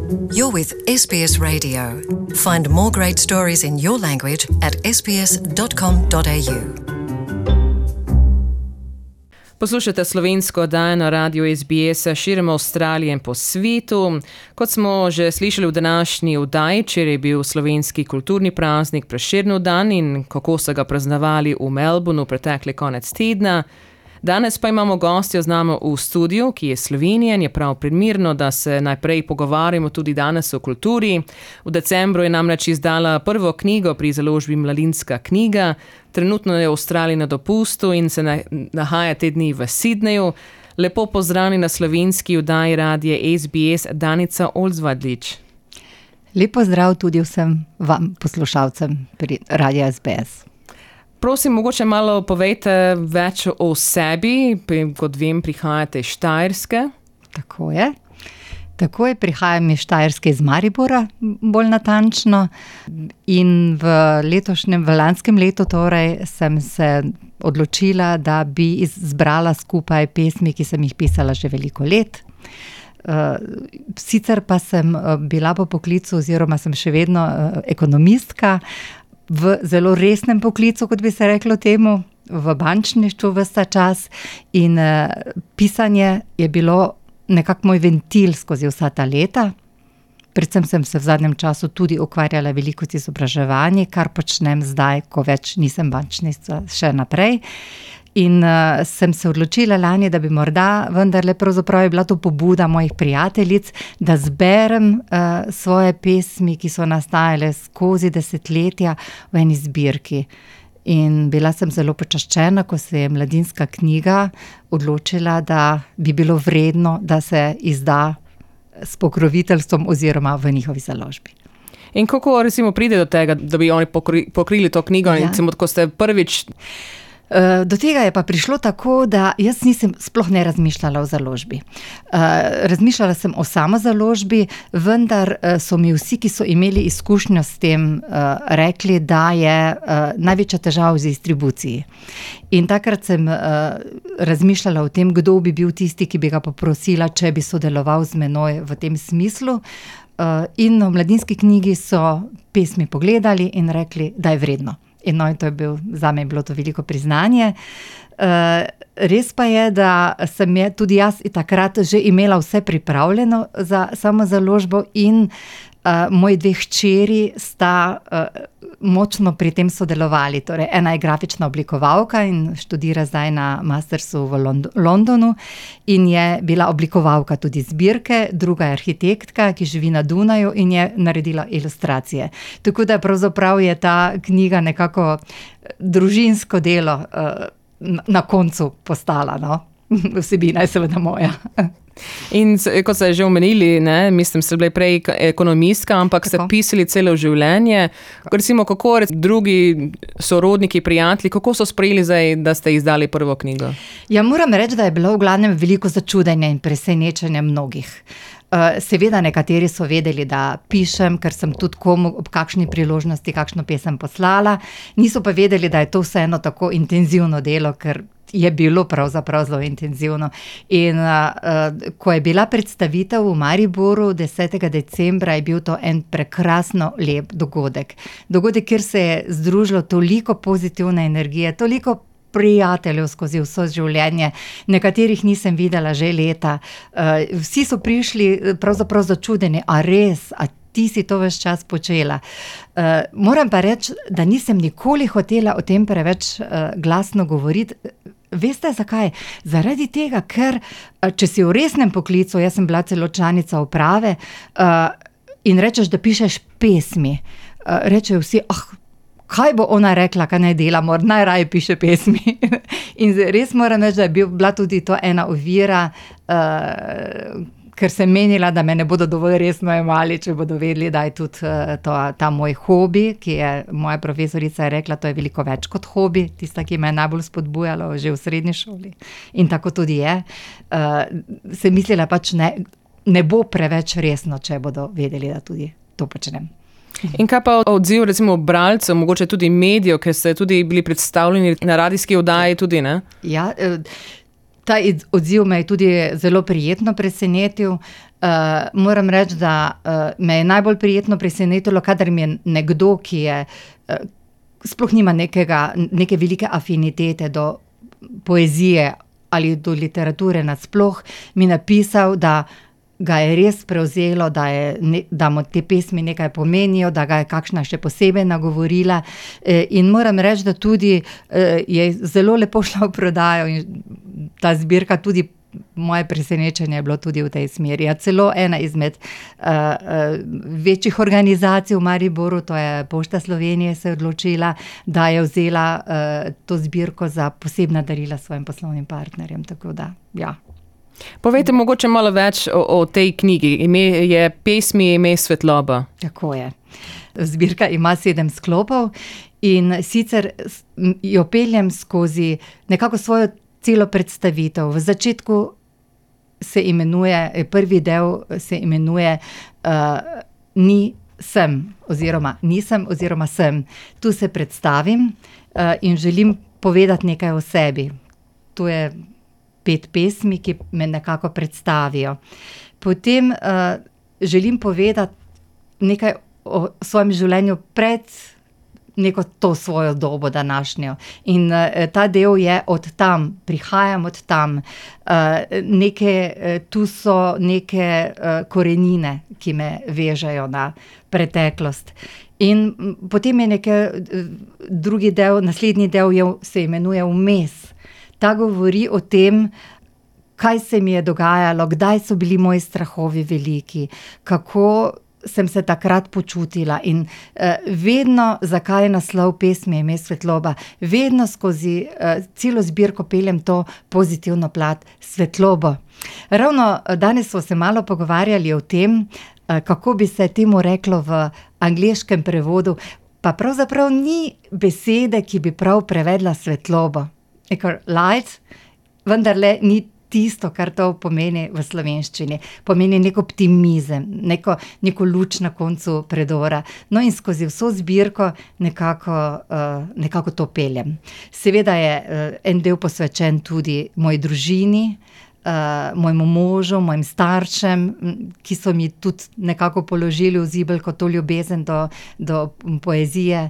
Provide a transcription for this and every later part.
You're with SBS Radio. Find more great stories in your language at sbs.com.au. Poslušate slovensko oddajo na radiju SBS širom Avstralije in po svetu. Kot smo že slišali v današnji oddaji, včeraj je bil slovenski kulturni praznik Prešernov dan in kako so ga praznovali v Melbourneu pretekli konec tedna. Danes pa imamo gostjo z nami v studiu, ki je Slovenijan, je prav primerno, da se najprej pogovarjamo tudi danes o kulturi. V decembru je namreč izdala prvo knjigo pri založbi Mladinska knjiga. Trenutno je v Avstraliji na dopustu in se nahaja te dni v Sydneyju. Lepo pozdravljeni na slovenski oddaji radija SBS, Danica Olzvadlič. Lep pozdrav tudi vsem vam, poslušalcem pri radiju SBS. Prosim, mogoče malo povejte več o sebi, kot vem, prihajate iz Štajerske. Tako je, prihajam iz Štajerske, iz Maribora, bolj natančno. In v lanskem letu torej sem se odločila, da bi zbrala skupaj pesmi, ki sem jih pisala že veliko let. Sicer pa sem bila po poklicu oziroma sem še vedno ekonomistka, v zelo resnem poklicu, kot bi se reklo temu, v bančništvu ves ta čas in pisanje je bilo nekako moj ventil skozi vsa ta leta. Predvsem sem se v zadnjem času tudi ukvarjala veliko z izobraževanjem, kar počnem zdaj, ko več nisem bančnica, še naprej. In sem se odločila lani, da bi morda vendarle pravzaprav je bila to pobuda mojih prijateljic, da zberem svoje pesmi, ki so nastajale skozi desetletja v eni zbirki. In bila sem zelo počaščena, ko se je Mladinska knjiga odločila, da bi bilo vredno, da se izda s pokroviteljstvom oziroma v njihovi založbi. In kako recimo pride do tega, da bi oni pokrili to knjigo, in recimo, ko ste prvič... Do tega je pa prišlo tako, da jaz nisem sploh ne razmišljala o založbi. Razmišljala sem o samozaložbi, vendar so mi vsi, ki so imeli izkušnjo s tem, rekli, da je največja težava v distribuciji. In takrat sem razmišljala o tem, kdo bi bil tisti, ki bi ga poprosila, če bi sodeloval z menoj v tem smislu. In v Mladinski knjigi so pesmi pogledali in rekli, da je vredno. In to je zame je bilo to veliko priznanje. Res pa je, da sem tudi jaz takrat že imela vse pripravljeno za samo založbo in moji dve hčeri sta močno pri tem sodelovali. Torej, ena je grafična oblikovalka in študira zdaj na mastersu v Londonu in je bila oblikovalka tudi zbirke, druga je arhitektka, ki živi na Dunaju in je naredila ilustracije. Tako da pravzaprav je ta knjiga nekako družinsko delo na koncu postala, no? Vsebina je seveda moja. In kot ste že omenili, mislim, ste bili prej ekonomistka, ampak ste pisali celo življenje. Recimo, kako drugi sorodniki, prijatelji, kako so sprejeli zdaj, da ste izdali prvo knjigo? Ja, moram reči, da je bilo v glavnem veliko začudenja in presenečenja mnogih. Seveda nekateri so vedeli, da pišem, ker sem tudi komu ob kakšni priložnosti kakšno pesem poslala. Niso pa vedeli, da je to vseeno tako intenzivno delo, ker je bilo pravzaprav zelo intenzivno. In ko je bila predstavitev v Mariboru 10. decembra, je bil to en prekrasno lep dogodek. Dogodek, kjer se je združilo toliko pozitivne energije, toliko prijateljev skozi vso življenje, nekaterih nisem videla že leta. Vsi so prišli pravzaprav začudeni, a res, a ti si to ves čas počela. Moram pa reči, da nisem nikoli hotela o tem preveč glasno govoriti. Veste zakaj? Zaradi tega, ker če si v resnem poklicu, jaz sem bila celo članica uprave, in rečeš, da pišeš pesmi, rečejo vsi, kaj bo ona rekla, kaj naj dela, najraje piše pesmi. In res moram reči, da je bila tudi to ena ovira, ker sem menila, da me ne bodo dovolj resno jemali, če bodo vedeli, da je tudi ta moj hobi, ki je moja profesorica rekla, to je veliko več kot hobi, tista, ki me je najbolj spodbujala že v srednji šoli. In tako tudi je. Sem mislila pač ne bo preveč resno, če bodo vedeli, da tudi to počnem. In kaj pa odziv recimo bralcev, mogoče tudi medijev, ker ste tudi bili predstavljeni na radijski oddaji tudi, ne? Ja, ta odziv me je tudi zelo prijetno presenetil. Moram reči, da me je najbolj prijetno presenetilo, kadar mi je nekdo, ki je sploh nima neke velike afinitete do poezije ali do literature nasploh, mi napisal, da ga je res prevzelo, da mu te pesmi nekaj pomenijo, da ga je kakšna še posebej nagovorila. In moram reči, da tudi je zelo lepo šla v prodajo in ta zbirka tudi, moje presenečenje je bilo tudi v tej smeri. Celo ena izmed večjih organizacij v Mariboru, to je Pošta Slovenije, se je odločila, da je vzela to zbirko za posebna darila svojim poslovnim partnerjem. Tako da, ja. Povejte mogoče malo več o tej knjigi. Ime Svetloba. Tako je. Zbirka ima 7 sklopov in sicer jo peljem skozi nekako svojo celo predstavitev. V začetku se imenuje, prvi del se imenuje Nisem oziroma sem. Tu se predstavim in želim povedati nekaj o sebi. Tu je 5 pesmi, ki me nekako predstavijo. Potem želim povedati nekaj o svojem življenju pred neko to svojo dobo današnjo. In ta del je od tam, prihajam od tam. Tu so neke korenine, ki me vežejo na preteklost. In potem je drugi del, naslednji del se imenuje Vmes. Ta govori o tem, kaj se mi je dogajalo, kdaj so bili moji strahovi veliki, kako sem se takrat počutila in vedno, zakaj je naslov pesmi Ime Svetloba, vedno skozi celo zbirko peljem to pozitivno plat, svetlobo. Ravno danes smo se malo pogovarjali o tem, kako bi se temu reklo v angleškem prevodu, pa pravzaprav ni besede, ki bi prav prevedla svetlobo. Light, vendarle ni tisto, kar to pomeni v slovenščini. Pomeni nek optimizem, neko luč na koncu predora. No in skozi vso zbirko nekako to peljem. Seveda je en del posvečen tudi moji družini, mojemu možu, mojim staršem, ki so mi tudi nekako položili v zibelko to ljubezen do poezije,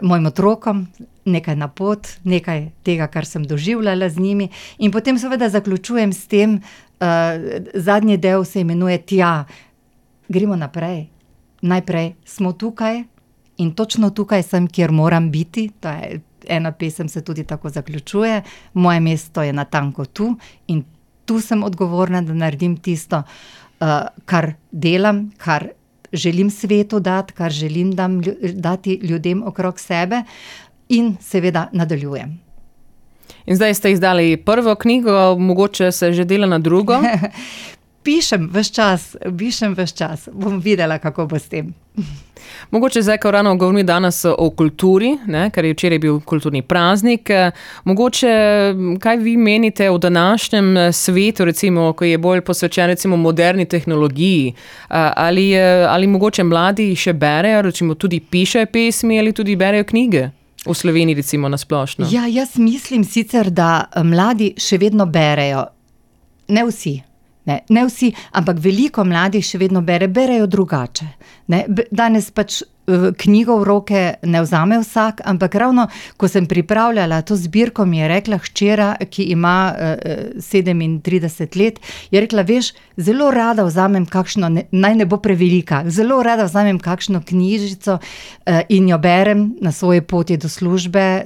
mojim otrokom, nekaj na pot, nekaj tega, kar sem doživljala z njimi. In potem seveda zaključujem s tem, zadnji del se imenuje Tja. Gremo naprej. Najprej smo tukaj in točno tukaj sem, kjer moram biti. To je ena pesem, se tudi tako zaključuje. Moje mesto je natanko tu in tu sem odgovorna, da naredim tisto, kar delam, kar želim svetu dati, kar želim dati ljudem okrog sebe. In seveda nadaljujem. In zdaj ste izdali prvo knjigo, mogoče se že dela na drugo? Pišem ves čas. Bom videla, kako bo s tem. Mogoče zdaj, ko ravno govorimo danes o kulturi, ker je včeraj bil kulturni praznik, mogoče kaj vi menite o današnjem svetu, recimo, ko je bolj posvečen recimo moderni tehnologiji, ali mogoče mladi še berejo, recimo tudi pišejo pesmi ali tudi berejo knjige? V Sloveniji recimo nasplošno. Ja, jaz mislim sicer, da mladi še vedno berejo. Ne vsi, ampak veliko mladih še vedno berejo drugače. Danes pač knjigo v roke ne vzame vsak, ampak ravno, ko sem pripravljala to zbirko, mi je rekla hčera, ki ima 37 let, je rekla, veš, zelo rada vzamem kakšno, naj ne bo prevelika, zelo rada vzamem kakšno knjižico in jo berem na svoji poti do službe,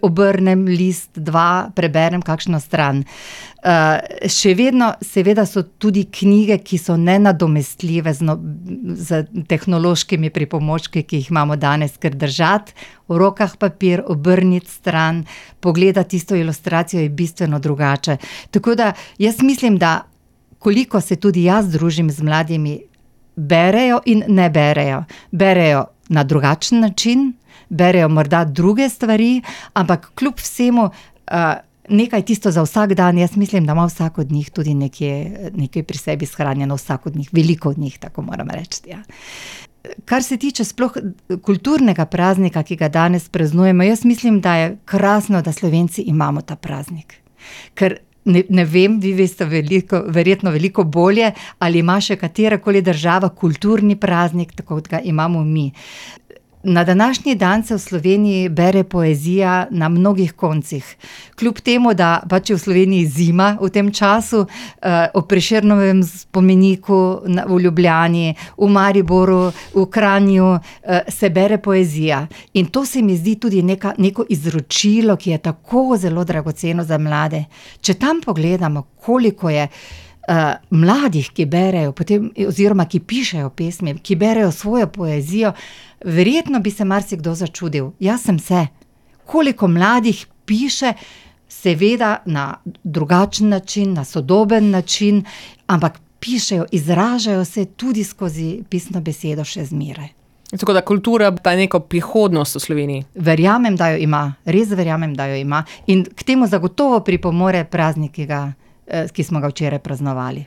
obrnem list, 2, preberem kakšno stran. Še vedno, seveda so tudi knjige, ki so nenadomestljive z tehnološkimi pripomočki, ki jih imamo danes, ker držati v rokah papir, obrniti stran, pogledati tisto ilustracijo je bistveno drugače. Tako da jaz mislim, da koliko se tudi jaz družim z mladimi, berejo in ne berejo. Berejo na drugačen način, berejo morda druge stvari, ampak kljub vsemu nekaj tisto za vsak dan, jaz mislim, da ima vsak od njih tudi nekaj pri sebi shranjeno, vsak od njih, veliko od njih, tako moram reči. Ja. Kar se tiče sploh kulturnega praznika, ki ga danes praznujemo, jaz mislim, da je krasno, da Slovenci imamo ta praznik. Ker Ne vem, vi veste verjetno veliko bolje, ali ima še katerakoli država kulturni praznik, tako kot ga imamo mi. Na današnji dan se v Sloveniji bere poezija na mnogih koncih. Kljub temu, da pač je v Sloveniji zima v tem času, ob Prešernovem spomeniku v Ljubljani, v Mariboru, v Kranju, se bere poezija. In to se mi zdi tudi neko izročilo, ki je tako zelo dragoceno za mlade. Če tam pogledamo, koliko je mladih, ki berejo, potem, oziroma ki pišejo pesmi, ki berejo svojo poezijo, verjetno bi se marsikdo začudil. Jaz sem se. Koliko mladih piše, seveda na drugačen način, na sodoben način, ampak pišejo, izražajo se tudi skozi pisno besedo še zmeraj. Tako da kultura pa neko prihodnost v Sloveniji. Verjamem, da jo ima. Res verjamem, da jo ima. In k temu zagotovo pripomore praznik, ki smo ga včeraj praznovali.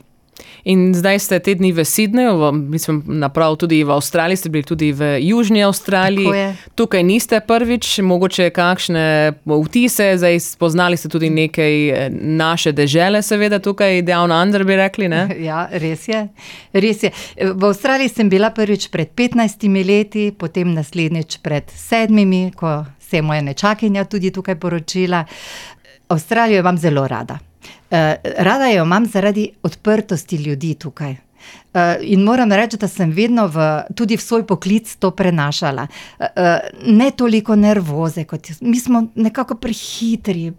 In zdaj ste te dni v Sydneyju, mislim, naprav tudi v Avstraliji, ste bili tudi v Južni Avstraliji. Tukaj niste prvič, mogoče kakšne vtise, zdaj spoznali ste tudi nekaj naše dežele, seveda tukaj Down Under bi rekli, ne? Ja, res je. V Avstraliji sem bila prvič pred 15 leti, potem naslednjič pred 7, ko se je moja nečakinja tudi tukaj poročila. Avstralijo imam zelo rada. Rada jo imam zaradi odprtosti ljudi tukaj. In moram reči, da sem vedno tudi v svoj poklic to prenašala. Ne toliko nervoze, mi smo nekako prehitri,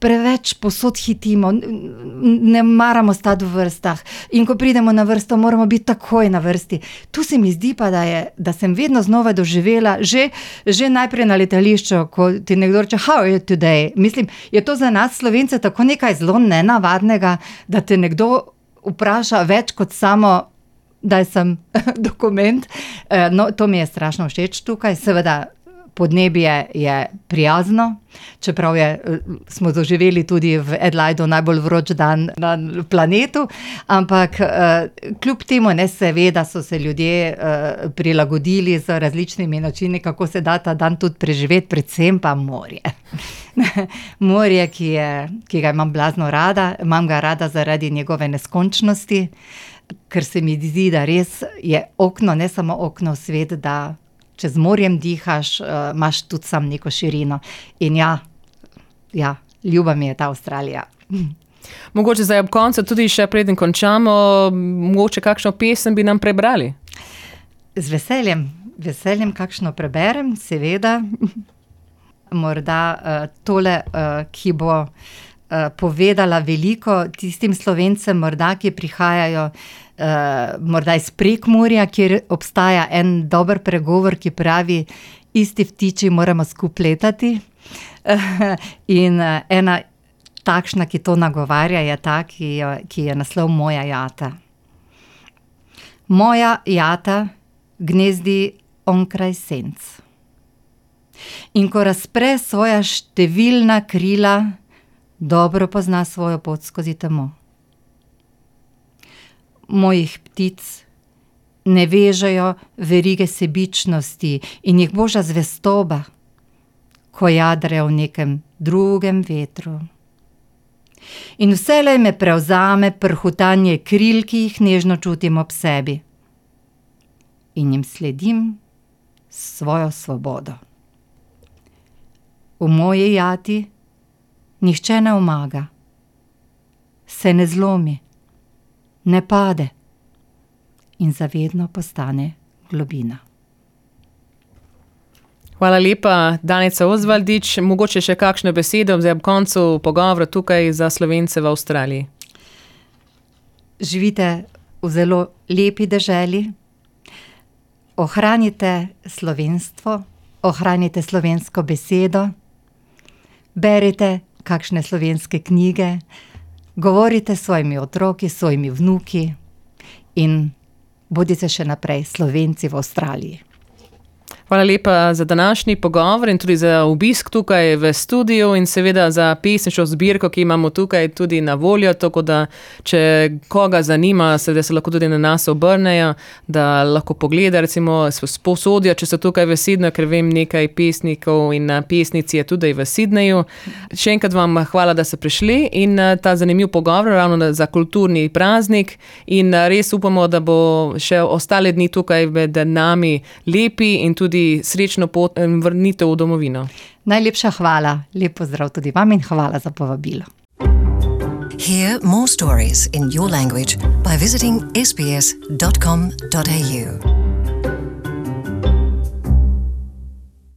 preveč posod hitimo, ne maramo stati v vrstah. In ko pridemo na vrsto, moramo biti takoj na vrsti. Tu se mi zdi pa, da sem vedno znova doživela, že najprej na letališču, ko ti nekdo reče, how are you today? Mislim, je to za nas Slovence tako nekaj zelo nenavadnega, da te nekdo vpraša več kot samo, daj sem dokument. No, to mi je strašno všeč tukaj. Seveda, podnebje je prijazno, čeprav smo doživeli tudi v Adelaidu najbolj vroč dan na planetu, ampak kljub temu, seveda so se ljudje prilagodili z različnimi načini, kako se da ta dan tudi preživeti, predvsem pa morje. Morje, ki ga imam blazno rada, imam ga rada zaradi njegove neskončnosti, ker se mi zdi, da res je okno, ne samo okno v svet, da če z morjem dihaš, imaš tudi sam neko širino. In ja, ljuba mi je ta Avstralija. Mogoče zdaj ob koncu tudi še preden končamo, mogoče kakšno pesem bi nam prebrali? Z veseljem kakšno preberem, seveda. Morda tole, ki bo povedala veliko tistim Slovencem, morda, ki prihajajo morda iz Prekmurja, kjer obstaja en dober pregovor, ki pravi, isti ptiči moramo skupaj letati. In ena takšna, ki to nagovarja, je ta, ki je naslov Moja jata. Moja jata gnezdi onkraj senc. In ko razpre svoja številna krila, dobro pozna svojo pot skozi temo. Mojih ptic ne vežejo verige sebičnosti in jih boža zvestoba, ko jadrajo v nekem drugem vetru. In vselej me prevzame prhutanje kril, ki jih nežno čutim ob sebi. In jim sledim s svojo svobodo. V moji jati nihče ne omaga, se ne zlomi, ne pade in zavedno postane globina. Hvala lepa, Danica Osvaldič. Mogoče še kakšno besedo zdaj ob koncu pogovora tukaj za Slovence v Avstraliji. Živite v zelo lepi deželi, ohranite slovenstvo, ohranite slovensko besedo, berite kakšne slovenske knjige, govorite s svojimi otroki, s svojimi vnuki in bodite še naprej Slovenci v Avstraliji. Hvala lepa za današnji pogovor in tudi za obisk tukaj v studiu in seveda za pesniško zbirko, ki imamo tukaj tudi na voljo, tako da če koga zanima, seveda se lahko tudi na nas obrnejo, da lahko pogleda, recimo sposodijo, če so tukaj v Sydneyju, ker vem nekaj pesnikov in pesnic je tudi v Sydneyju. Še enkrat vam hvala, da ste prišli in ta zanimiv pogovor ravno za kulturni praznik in res upamo, da bo še ostale dni tukaj med nami lepi in tudi srečno pot in vrnitev v domovino. Najlepša hvala, lep pozdrav tudi vam in hvala za povabilo. Hear more stories in your language by visiting sbs.com.au.